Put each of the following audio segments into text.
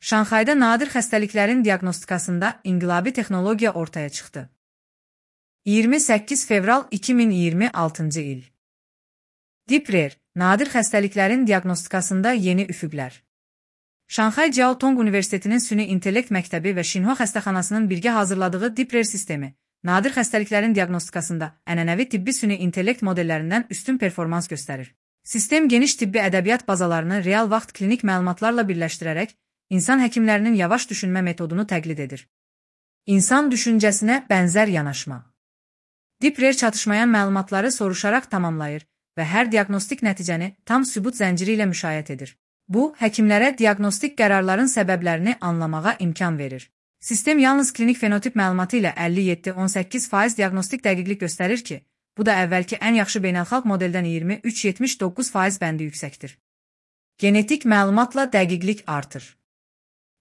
Şanxayda nadir xəstəliklərin diaqnostikasında inqilabi texnologiya ortaya çıxdı. 28 fevral 2026-cı il. Deep-Rare, nadir xəstəliklərin diaqnostikasında yeni üfüqlər. Şanxay Jiaotong Universitetinin Süni İntellekt Məktəbi və Xinhua xəstəxanasının birgə hazırladığı Deep-Rare sistemi, nadir xəstəliklərin diaqnostikasında ənənəvi tibbi süni intellekt modellərindən üstün performans göstərir. Sistem geniş tibbi ədəbiyyat bazalarını real vaxt klinik məlumatlarla birləşdirərək, insan həkimlərinin yavaş düşünmə metodunu təqlid edir. İnsan düşüncəsinə bənzər yanaşma. Deep-Rare çatışmayan məlumatları soruşaraq tamamlayır və hər diaqnostik nəticəni tam sübut zənciri ilə müşayiət edir. Bu, həkimlərə diaqnostik qərarların səbəblərini anlamağa imkan verir. Sistem yalnız klinik fenotip məlumatı ilə 57-18% diaqnostik dəqiqlik göstərir ki, bu da əvvəlki ən yaxşı beynəlxalq modeldən 23-79% bəndi yüksəkdir. Genetik məlumatla dəqiqlik artır.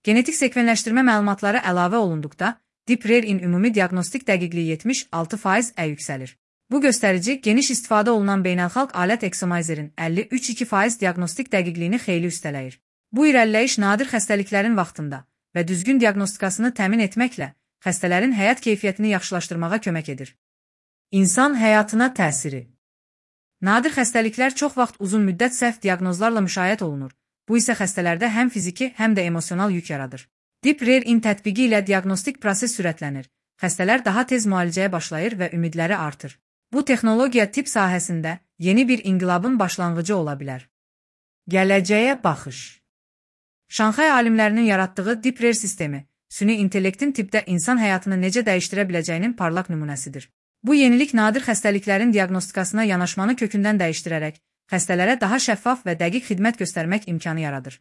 Genetik sekvenləşdirmə məlumatları əlavə olunduqda, Deep-Rare-in ümumi diaqnostik dəqiqliyi 76%-ə yüksəlir. Bu göstərici, geniş istifadə olunan beynəlxalq alət Exomizerin 53-2% diaqnostik dəqiqliyini xeyli üstələyir. Bu irəliləyiş nadir xəstəliklərin vaxtında və düzgün diaqnostikasını təmin etməklə xəstələrin həyat keyfiyyətini yaxşılaşdırmağa kömək edir. İnsan həyatına təsiri. Nadir xəstəliklər çox vaxt uzun müddət səhv diaqnozlarla müşayiət olunur. Bu isə xəstələrdə həm fiziki, həm də emosional yük yaradır. Deep-Rare-in tətbiqi ilə diaqnostik proses sürətlənir. Xəstələr daha tez müalicəyə başlayır və ümidləri artır. Bu texnologiya tibb sahəsində yeni bir inqilabın başlanğıcı ola bilər. Gələcəyə baxış. Şanxay alimlərinin yaratdığı Deep-Rare sistemi, süni intellektin tibbdə insan həyatını necə dəyişdirə biləcəyinin parlaq nümunəsidir. Bu yenilik nadir xəstəliklərin diaqnostikasına yanaşmanı kökündən dəyişdirərək, xəstələrə daha şəffaf və dəqiq xidmət göstərmək imkanı yaradır.